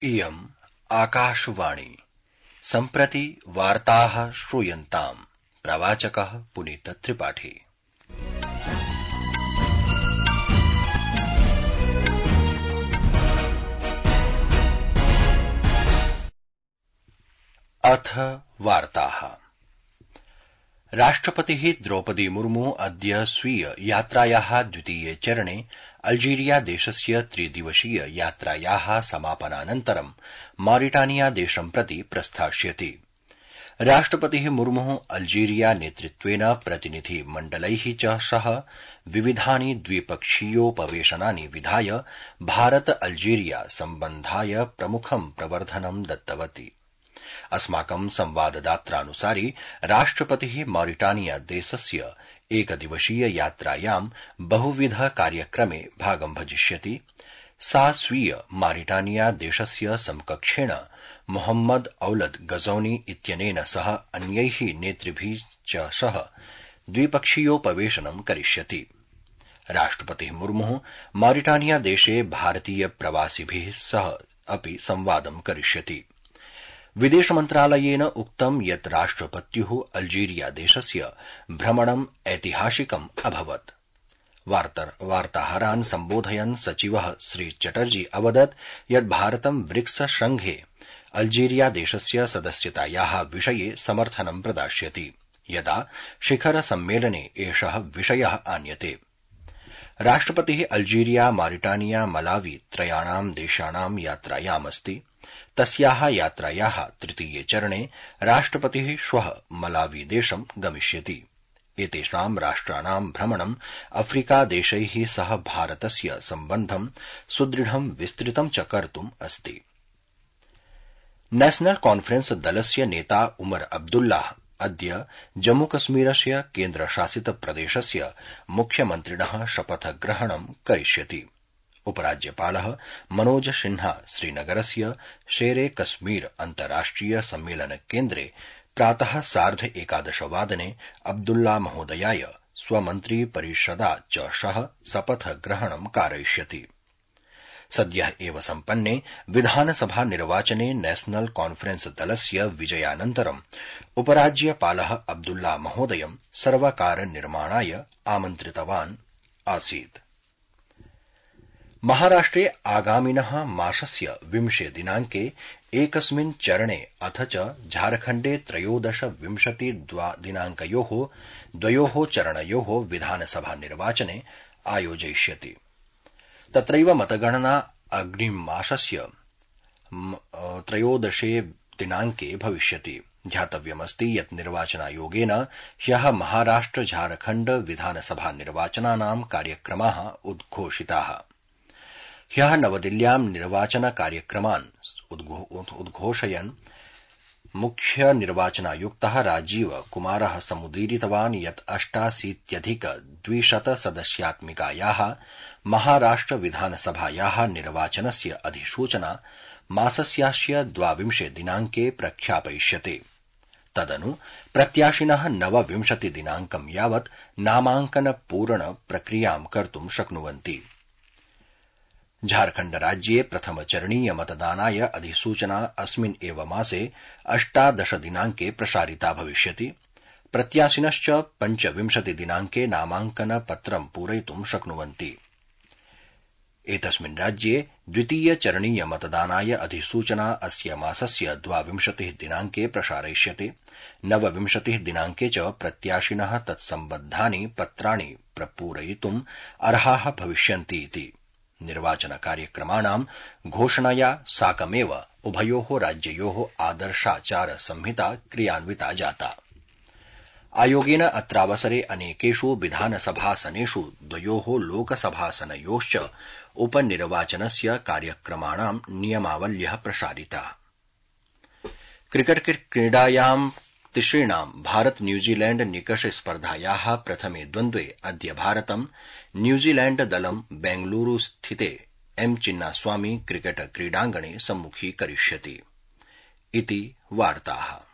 इयम् आकाशवाणी सम्प्रति वार्ताः श्रूयन्ताम्। प्रवाचकः पुनीत त्रिपाठी। अथ वार्ताः। राष्ट्रपतिः द्रौपदी मुर्मू अद्य स्वीय यात्रायाः द्वितीये चरणे अल्जीरिया देशस्य त्रिदिवसीय यात्रायाः समापनानन्तरं मॉरिटानिया देशं प्रति प्रस्थास्यति। राष्ट्रपतिः मुर्मुः अल्जीरिया नेतृत्वेन प्रतिनिधि मण्डलैः च सह विविधानि द्विपक्षीयोपवेशनानि विधाय भारत अल्जीरिया सम्बन्धाय प्रमुखं प्रवर्धनं दत्तवती। अस्माकं संवाददात्रानुसारि राष्ट्रपतिः मॉरिटानिया देशस्य एकदिवसीय यात्रायां बहुविध कार्यक्रमे भागं भजिष्यति। सा स्वीय मॉरिटानिया देशस्य समकक्षेण मोहम्मद औलद गजौनी इत्यनेन सह अन्यैः नेतृभिः च सह द्विपक्षीयोपवेशनं करिष्यति। राष्ट्रपतिः मुर्मुः मॉरिटानिया देशे भारतीय प्रवासिभिः सह अपि संवादं करिष्यति। विदेश मन्त्रालयेन उक्तं यत् राष्ट्रपत्युः अल्जीरिया देशस्य भ्रमणं ऐतिहासिकम् अभवत्। वार्ताहरान् सम्बोधयन् सचिवः श्री चटर्जी अवदत् यत् भारतं ब्रिक्स संघे अल्जीरिया देशस्य सदस्यतायाः विषये समर्थनं प्रदास्यति, यदा शिखर सम्मेलने एषः विषयः आन्यते। राष्ट्रपतिः अल्जीरिया, मॉरिटानिया, मलावी त्रयाणां देशानां यात्रायामस्ति। तस्याः यात्रायाः तृतीये चरणे राष्ट्रपतिः श्वः मलावी देशं गमिष्यति। एतेषां राष्ट्राणां भ्रमणं अफ्रीका देशैः सह भारतस्य सम्बन्धं सुदृढं विस्तृतं च कर्तुम् अस्ति। नेशनल कॉन्फ्रेंस दलस्य नेता उमर अब्दुल्लाह अद्य जम्मूकश्मीरस्य केन्द्रशासित प्रदेशस्य मुख्यमन्त्रिणः शपथग्रहणं करिष्यति। उपराज्यपालः मनोज सिन्हा श्रीनगरस्य शेरे कश्मीर अन्ताराष्ट्रिय सम्मेलन केन्द्रे प्रातः 11:30 वादने अब्दुल्ला महोदयाय स्वमन्त्री परिषदा च सह शपथग्रहणं कारयिष्यति। सद्यः एव सम्पन्ने विधानसभा निर्वाचने नेशनल कॉन्फ्रेंस दलस्य विजयानन्तरं उपराज्यपालः अब्दुल्ला महोदयं सर्वकार निर्माणाय आमन्त्रितवान् आसीत्। महाराष्ट्रे आगामिनः मासस्य 20 दिनाङ्के एकस्मिन् चरणे अथ च झारखण्डे 13-20 दिनाङ्कयोः द्वयोः चरणयोः विधानसभा निर्वाचने आयोजयिष्यति। तत्रैव मतगणना अग्रिममासस्य 13 दिनाङ्के भविष्यति। ध्यातव्यमस्ति यत् निर्वाचनायोगेन ह्यः महाराष्ट्र झारखण्ड विधानसभा निर्वाचनानां कार्यक्रमाः उद्घोषिताः। ह्यः नवदिल्ल्यां निर्वाचन कार्यक्रमान् उद्घोषयन् मुख्य निर्वाचनायुक्तः राजीव कुमारः समुदीरितवान् यत् 88+ सदस्यात्मिकायाः महाराष्ट्र विधानसभायाः निर्वाचनस्य अधिसूचना मासस्यास्य 22 दिनाङ्के प्रख्यापयिष्यते। तदनु प्रत्याशिनः 29 दिनाङ्कं यावत् नामाङ्कन पूर्ण प्रक्रियां कर्तुं शक्नुवन्ति। झारखण्ड राज्ये प्रथमचरणीय मतदानाय अधिसूचना अस्मिन् एव मासे 18 दिनाङ्के प्रसारिता भविष्यति। प्रत्याशिनश्च 25 दिनाङ्के नामाङ्कन पत्रं पूरयितुं शक्नुवन्ति। एतस्मिन् राज्ये द्वितीयचरणीय मतदानाय अधिसूचना अस्य मासस्य 22 दिनाङ्के प्रसारयिष्यते। 29 दिनाङ्के च प्रत्याशिनः तत्सम्बद्धानि पत्राणि प्रपूरयितुम् अर्हाः भविष्यन्ति इति। निर्वाचन कार्यक्रमाणां घोषणया साकमेव उभयोः राज्ययोः आदर्शाचार संहिता क्रियान्विता जाता। आयोगेन अत्रावसरे अनेकेषु विधानसभासनेषु द्वयोः लोकसभासनयोश्च उपनिर्वाचनस्य कार्यक्रमाणां नियमावल्यः प्रसारिताः। क्रिकेट क्रीडायां तिसृणां भारत न्यूजीलैंड निकष स्पर्धायाः प्रथमे द्वन्द्वे अद्य भारतं न्यूजीलैंड दलं बेंगलुरू स्थिते एम चिन्नास्वामी क्रिकेट क्रीडाङ्गणे सम्मुखीकरिष्यति। इति वार्ताः।